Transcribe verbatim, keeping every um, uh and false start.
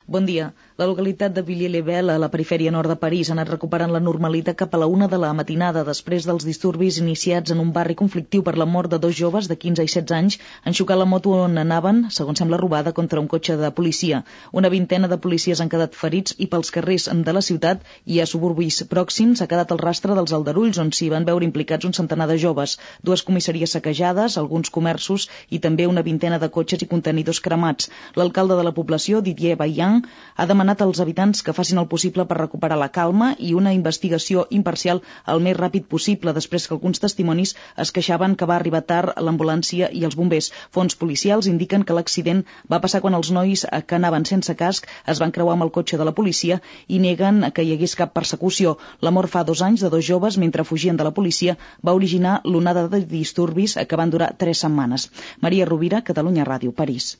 Bon dia. La localitat de Villiers-le-Bel, a la perifèria nord de París, ha anat recuperant la normalitat cap a la una de la matinada després dels disturbis iniciats en un barri conflictiu per la mort de dos joves de quinze i setze anys en xocar la moto on anaven, segons sembla robada, contra un cotxe de policia. Una vintena de policies han quedat ferits i pels carrers de la ciutat i a suburbis pròxims ha quedat el rastre dels aldarulls on s'hi van veure implicats un centenar de joves, dues comissaries saquejades, alguns comerços i també una vintena de cotxes i contenidors cremats. L'alcalde de la població, Didier Vaillant, ha demanat als habitants que facin el possible per recuperar la calma i una investigació imparcial el més ràpid possible, després que alguns testimonis es queixaven que va arribar tard l'ambulància i els bombers. Fonts policials indiquen que l'accident va passar quan els nois que anaven sense casc es van creuar amb el cotxe de la policia i neguen que hi hagués cap persecució. La mort fa dos anys de dos joves mentre fugien de la policia va originar l'onada de disturbis que van durar tres setmanes. Maria Rovira, Catalunya Ràdio, París.